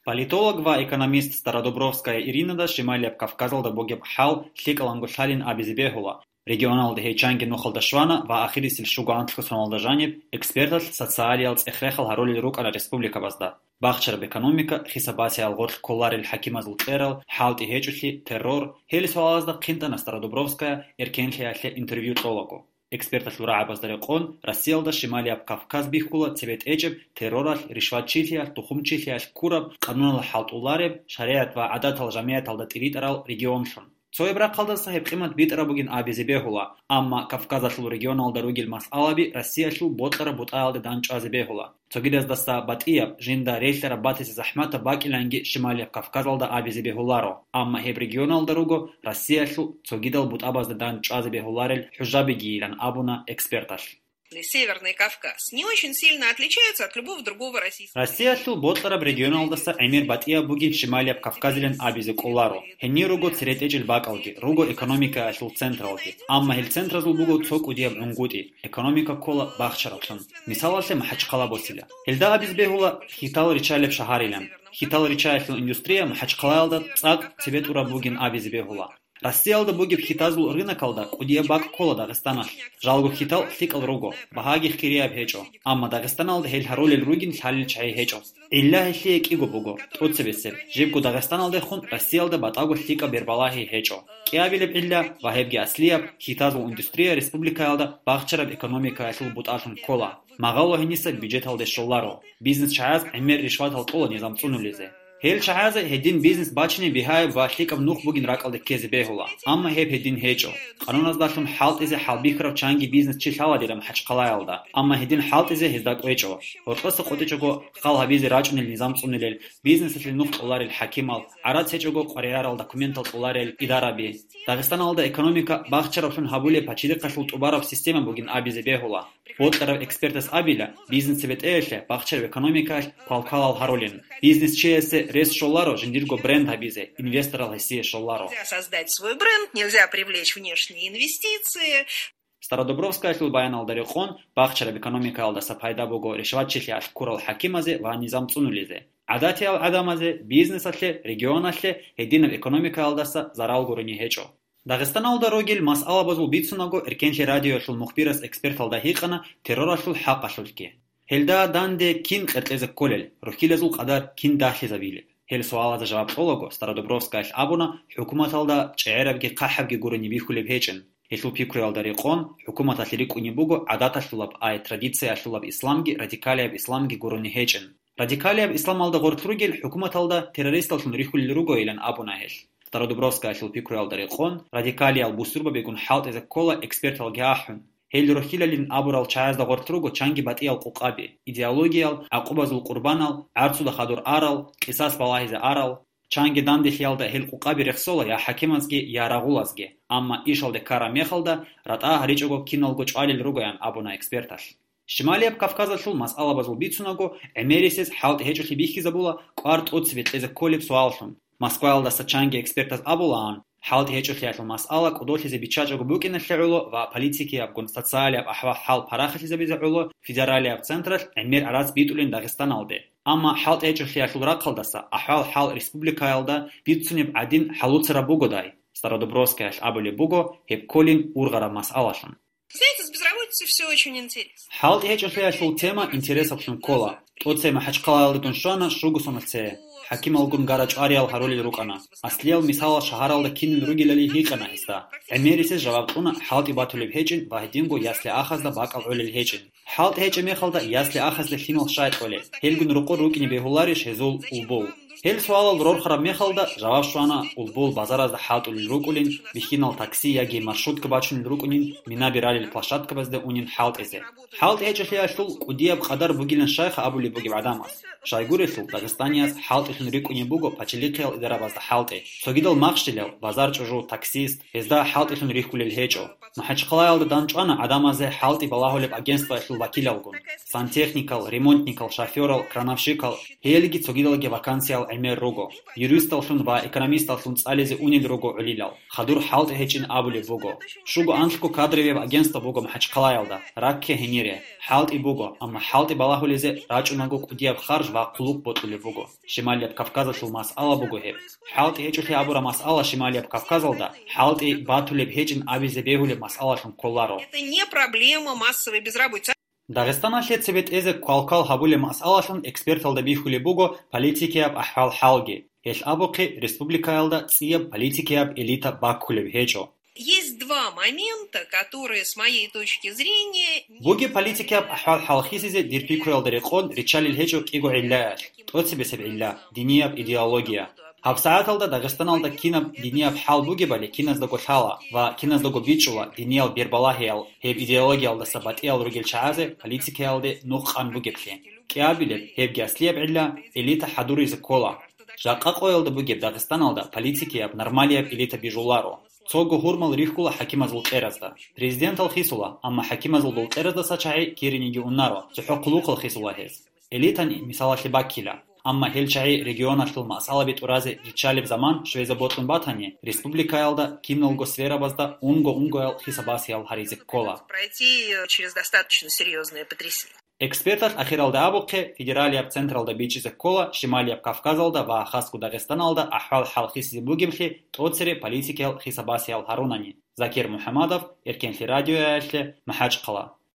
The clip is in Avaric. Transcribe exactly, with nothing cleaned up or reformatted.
Политолог ва экономист Стародубровская Иринада Шималияб Кавказалда бугеб хӀал лъикӀаланго лъалин абизе бегьула. Регионалда гьей чанги нухалда щвана ва ахирисел щуго анлъго соналда жаниб эксперталъ социалиял цӀех-рехал гьарулел рукӀана республикабазда. Бахчараб экономика, хисабасиял гъорлъ кколарел хӀакимазул кьерал, хӀалтӀи гьечӀолъи, террор, гьел суалазда хъинтӀана Стародубровская эркенлъиялъе интервью кьолаго. Эксперталъул рагӀабазда рекъон, Россиялда Шималияб Кавказ бихьула цебетӀечӀеб терроралъ, ришватчилъиялъ, тухумчилъиялъ ккураб, къануналъ хӀалтӀулареб, шаригӀат ва гӀадатал жамигӀаталда тӀиритӀарал регионлъун. Цояб рахъалдаса гьеб къимат битӀараб бугин абизе бегьула, амма Кавказалъул регионалда ругел масъалаби Россиялъул бокьараб бутӀаялде дандчӀвазе бегьула. Цогидаздаса батӀияб, жинда релълъараб батизе захӀматаб бакӀиланги Шималияб Кавказалда абизе бегьуларо, амма гьеб регионалда руго Россиялъул цогидал бутӀабазда дандчӀвазе бегьуларел хӀужабигийилан абуна эксперталъ. Северный Кавказ не очень сильно отличается от любого другого российского. Россиялъул бокьараб регионалдаса гӀемер батӀияб бугин Шималияб Кавказилан абизе кӀоларо. Гьенир руго церетӀечӀел бакӀалги, руго экономикаялъул централги. Амма гьел центразул буго цо кӀудияб гӀунгутӀи, экономика ккола бахчараблъун. Мисалалъе МахӀачхъала босила. Гьелда абизе бегьула хьитал риччалеб шагьарилан. Хьитал риччаялъул индустрия МахӀачхъалаялда цӀакъ цебетӀураб бугин абизе бегьула. Россиялда бугеб хьитазул рынокалда кӀудияб бакӀ ккола Дагъистаналъ. Жалго хьитал лъикӀал руго, багьаги хирияб гьечӀо. Амма Дагъистаналда гьел гьарулел ругин лъалел чагӀи гьечӀо. ГӀилла гьелъие кӀиго буго, тӀоцебесеб, жибго Дагъистаналдехун Россиялда батӀаго лъикӀаб бербалагьи гьечӀо. КӀиабилеб гӀилла, ва гьебги аслияб, хьитазул индустрия республикаялда бахчараб экономикаялъул бутӀалъун ккола. Магъало гьениса бюджеталде щоларо. Бизнес чагӀаз гӀемер ришватал кьола низам цӀунулезе. Гьел чагӀазе гьедин бизнес бачине бигьаяб ва лъикӀаб нух бугин ракӀалде ккезе бегьула, амма гьеб гьедин гьечӀо. Къануназдалъун хӀалтӀизе хӀалбихьарав чанги бизнес чи лъаладира МахӀачхъалаялда, амма гьедин хӀалтӀизе гьезда кӀвечӀо. Гьоркьоса къотӀичӀого хал гьабизе рачӀунел низам цӀунилел, бизнесалъе нух кьоларел хӀакимал, гӀарац гьечӀого къваригӀарал документал кьоларел идараби. Дагъистаналда экономика бахчараблъун гьабулеб пачалихъалъул тӀубараб система бугин абизе бегьула. Бокьараб экспертас абила, бизнес цебетӀеялъе, бахчараб экономикаялъ квалквалал гьарулин. Бизнес чиясе рес щоларо жиндирго бренд гьабизе, инвесторал гьесие щоларо. Нельзя создать свой бренд, нельзя привлечь внешние инвестиции. Стародубровскаялъул баяналда рекъон, бахчараб экономикаялдаса пайда буго ришватчилъиялъ ккурал хӀакимазе ва низам цӀунулезе, гӀадатиял гӀадамазе, бизнесалъе, регионалъе гьединаб экономикаялдаса зарал гурони гьечӀо. Дагъистаналда ругел масъалабазул бицунаго, Эркенлъи радиоялъул мухбирас эксперталда гьикъана терроралъул хӀакъалъулъги. Гьелда данде кин къеркьезе кколел, рухьилазул къадар кин дагьлъизабилеб? Гьел суалазда жаваб кьолаго, Стародубровскаялъ абуна, хӀукуматалда чӀегӀерабги хъахӀабги гурони бихьулеб гьечӀин. Гьелъул пикруялда рекъон, хӀукуматалъе рикӀкӀунеб буго гӀадаталъулаб, ай традициялъулаб исламги радикалияб исламги гурони гьечӀин. Радикалияб исламалда гъорлъ ругел хӀукуматалда террористаллъун рихьулел ругойилан абуна гьелъ. Стародубровскаялъул пикруялда рекъон, радикалиял бусурбабигун хӀалтӀизе ккола эксперталги ахӀун. Гьел рухьилалин абурал чагӀазда гъорлъ руго чанги батӀиял къукъаби, идеологиял, гӀакъубазул къурбанал, гӀарцуда хадур арал, къисас балагьизе арал. Чанги данделъиялда гьел къукъаби рехсола я хӀакимазги, я рагъулазги, амма ишалде ккараб мехалда ратӀа гьаричӀого киналго чӀвалел ругоян абуна эксперталъ. Шималияб Кавказалъул масъалабазул бицунаго, гӀемерисез хӀалтӀи гьечӀолъи бихьизабула кӀвар тӀоцебе кьезе кколеб суаллъун. Москваялдаса чанги экспертаз абулаан, хӀалтӀи гьечӀолъиялъул масъала кӀодолъизе биччачӀого букӀиналъе гӀоло ва политикиябгун социалияб ахӀвал-хӀал парахалъизабизе гӀоло федералияб централъ гӀемер гӀарац битӀулин Дагъистаналде. Амма хӀалтӀи гьечӀолъиялъул рахъалдаса ахӀвал-хӀал республикаялда бицунеб гӀадин хӀалуцараб бугодай? Стародубровскаялъ абулеб буго гьеб кколин ургъараб масъалалъун. Знаете, с безработицей всё очень интересно. ХӀалтӀи гьечӀолъиялъул тема интересаблъун ккола. ТӀоцебе МахӀачхъалаялдедун щвана щуго соналъ цее. ХӀакималгун гара чӀвариял гьарулел рукӀана. Аслиял мисалал шагьаралда кинил ругелали гьикъана гьесда. ГӀемерисез жаваб кьуна хӀалтӀи батулеб гьечӀин ва гьединго ясли-ахазда бакӀал гӀолел гьечӀин. ХӀалтӀи гьечӀеб мехалда ясли-ахазде лъимал щай кьолеб? Гьелгун рокъор рукӀине бегьуларищ гьезул улбул? Гьел суалал рорхараб мехалда, жаваб щвана, улбул базаразда хӀалтӀулел рукӀулин, бихьинал такси яги маршрутка бачунел рукӀунин, минаби ралел площадкабазде унин хӀалтӀизе. ХӀалтӀи гьечӀолъиялъул кӀудияб къадар бугилан щайха абулеб бугеб гӀадамаз. Щайгурелъул, дагъистанияз хӀалтӀилъун рикӀкӀунеб буго пачалихъиял идарабазда хӀалтӀи. Цогидал махщелал, базар чӀужу, таксист, гьезда хӀалтӀилъун рихьулел гьечӀо. МахӀачхъалаялда дандчӀвана гӀадамазе хӀалтӀи балагьулеб агентствоялъул вакилалгун: сантехникал, ремонтникал, шофёрал, крановщикал, гьелги цогидалги вакансиял гӀемер руго. Юристаллъун ва экономисталлъун цӀализе унел руго гӀолилал. Хадур хӀалтӀи гьечӀин абулеб буго. Щуго анлъго кадровияб агентство буго МахӀачхъалаялда, ракке гьенире. ХӀалтӀи буго, амма хӀалтӀи балагьулезе рачӀунаго кӀудияб харж ва хъулухъ бокьулеб буго. Шималияб Кавказалъул масъала буго гьеб. ХӀалтӀи гьечӀолъи абураб масъала Шималияб Кавказалда хӀалтӀи батулеб гьечӀин абизе бегьулеб масъалалъун кколаро. Это не проблема массовой безработицы. Дагъистаналъе цебетӀезе квалквал гьабулеб масъалалъун эксперталда бихьулеб буго политикияб ахӀвал-хӀалги. Гьелъ абухъе республикаялда цӀияб политикияб элита баккулеб гьечӀо. Есть два момента, которые, с моей точки зрения, не Бугеб политикияб ахӀвал-хӀал хисизе дир пикруялда рекъон риччалел гьечӀо кӀиго гӀиллаялъ, тӀоцебесеб гӀилла, динияб идеология. ГьабсагӀаталда Дагъистаналда кинаб динияб хӀал бугебали киназдаго лъала ва киназдаго бичӀчӀула диниял бербалагьиял гьеб идеологиялдаса батӀиял ругел чагӀазе политикаялде нух къан бугеблъи. КӀиабилеб, гьебги аслияб гӀилла, элита хӀадуризе ккола. Жакъа къоялда бугеб Дагъистаналда политикияб нормалияб элита бижуларо. Цого гьурмал рихьула хӀакимазул кьеразда. Президентал хисула, амма хӀакимазул дол кьераздаса чагӀи кириниги унаро, цохӀо хъулухъал хисула гьез. Элитани мисалалъе баккила. Амма гьел чагӀи регионалъул масъалаби тӀуразе риччалеб заман щвезе бокьун батани, республикаялда киналго сферабазда унго-унгоял хисабасиял гьаризе ккола. Пройти через достаточно серьёзное потрясение. Эксперталъ ахиралда абухъе, федералияб централда бичӀчӀизе ккола Шималияб Кавказалда ва хасго Дагъистаналда ахӀвал-хӀал хисизе бугеблъи тӀоцере политикиял хисабасиял гьарунани. Закир МухӀамадов, Эркенлъи радиоялъе, МахӀачхъала.